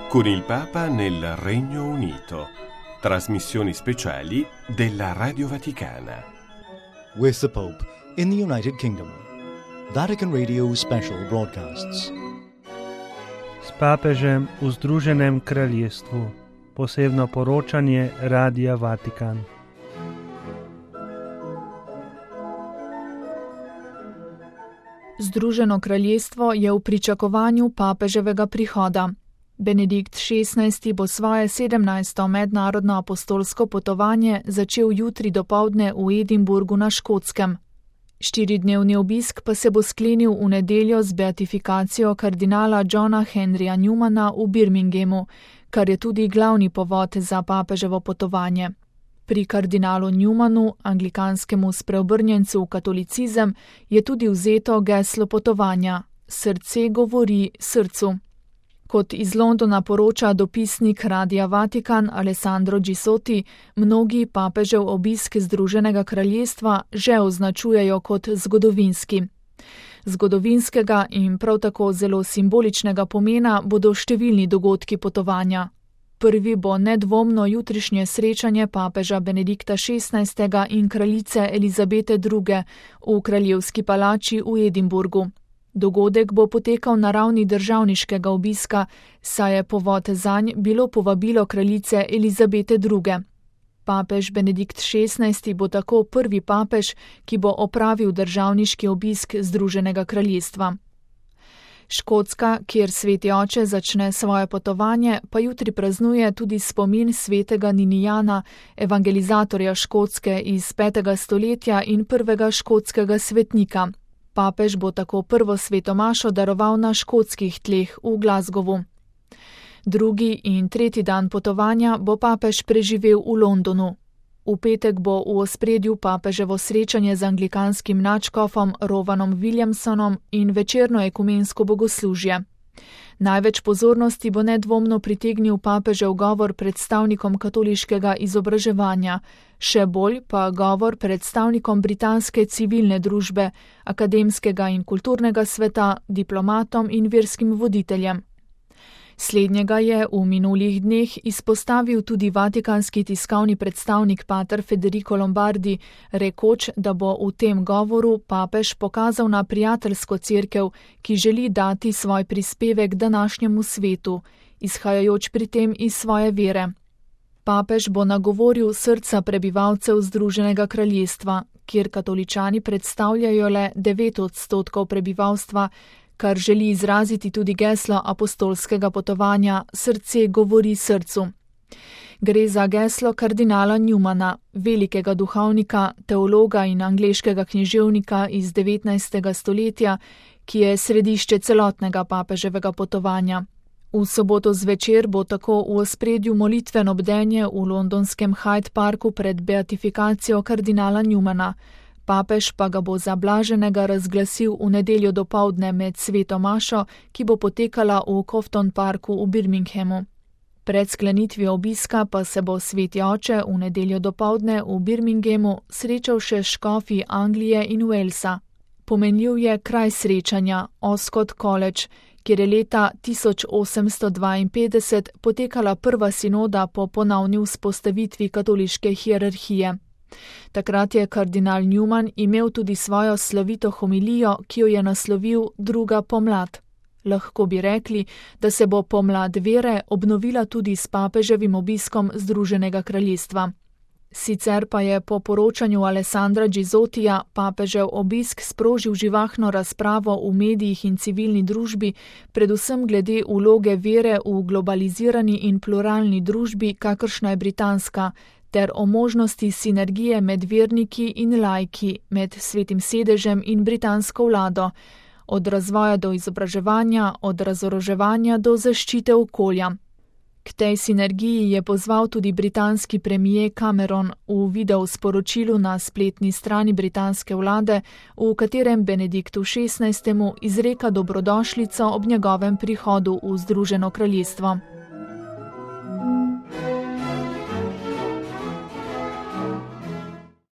con il Papa nel Regno Unito. Trasmissioni speciali della Radio Vaticana. With the Pope in the United Kingdom. Vatican Radio Special Broadcasts. S papežem v Združenem kraljestvu. Posebno poročanje Radia Vatikan. Združeno kraljestvo je v pričakovanju papeževega prihoda. Benedikt XVI bo svoje 17. mednarodno apostolsko potovanje začel jutri dopoldne v Edinburgu na Škotskem. 4-dnevni obisk pa se bo sklenil v nedeljo z beatifikacijo kardinala Johna Henryja Newmana v Birminghamu, kar je tudi glavni povod za papeževo potovanje. Pri kardinalu Newmanu, anglikanskemu spreobrnjencu v katolicizem, je tudi vzeto geslo potovanja: Srce govori srcu. Kot iz Londona poroča dopisnik Radia Vatikan Alessandro Gisoti, mnogi papežev obisk Združenega kraljestva že označujejo kot zgodovinski. Zgodovinskega in prav tako zelo simboličnega pomena bodo številni dogodki potovanja. Prvi bo nedvomno jutrišnje srečanje papeža Benedikta XVI. In kraljice Elizabete II. V kraljevski palači v Edinburgu. Dogodek bo potekal na ravni državniškega obiska, saj je povod zanj bilo povabilo kraljice Elizabete II. Papež Benedikt XVI. Bo tako prvi papež, ki bo opravil državniški obisk Združenega kraljestva. Škotska, kjer sveti oče začne svoje potovanje, pa jutri praznuje tudi spomin svetega Ninijana, evangelizatorja Škotske iz 5. stoletja in prvega škotskega svetnika. Papež bo tako prvo sveto mašo daroval na škotskih tleh v Glasgowu. Drugi in tretji dan potovanja bo papež preživel v Londonu. V petek bo v ospredju papeževo srečanje z anglikanskim nadškofom Rovanom Williamsonom in večerno ekumensko bogoslužje. Največ pozornosti bo nedvomno pritegnil papežev govor predstavnikom katoliškega izobraževanja, še bolj pa govor predstavnikom britanske civilne družbe, akademskega in kulturnega sveta, diplomatom in verskim voditeljem. Slednjega je v minulih dneh izpostavil tudi vatikanski tiskovni predstavnik pater Federico Lombardi, rekoč, da bo v tem govoru papež pokazal na prijateljsko cerkev, ki želi dati svoj prispevek današnjemu svetu, izhajajoč pri tem iz svoje vere. Papež bo nagovoril srca prebivalcev Združenega kraljestva, kjer katoličani predstavljajo le 9% prebivalstva, kar želi izraziti tudi geslo apostolskega potovanja Srce govori srcu. Gre za geslo kardinala Newmana, velikega duhovnika, teologa in angleškega književnika iz 19. stoletja, ki je središče celotnega papeževega potovanja. V soboto zvečer bo tako v ospredju molitveno bdenje v londonskem Hyde Parku pred beatifikacijo kardinala Newmana. Papež pa ga bo za blaženega razglasil v nedeljo dopoldne med sveto mašo, ki bo potekala v Cofton Parku v Birminghamu. Pred sklenitvijo obiska pa se bo sveti oče v nedeljo dopoldne v Birminghamu srečal še s škofi Anglije in Walesa. Pomenljiv je kraj srečanja, Oscott College, kjer je leta 1852 potekala prva sinoda po ponovni vzpostavitvi katoliške hierarhije. Takrat je kardinal Newman imel tudi svojo slovito homilijo, ki jo je naslovil Druga pomlad. Lahko bi rekli, da se bo pomlad vere obnovila tudi s papeževim obiskom Združenega kraljestva. Sicer pa je po poročanju Alessandra Gisotija papežev obisk sprožil živahno razpravo v medijih in civilni družbi, predvsem glede vloge vere v globalizirani in pluralni družbi, kakršna je britanska, ter o možnosti sinergije med verniki in laiki, med Svetim sedežem in britansko vlado, od razvoja do izobraževanja, od razoroževanja do zaščite okolja. K tej sinergiji je pozval tudi britanski premier Cameron v video sporočilu na spletni strani britanske vlade, v katerem Benediktu XVI. Izreka dobrodošlico ob njegovem prihodu v Združeno kraljestvo.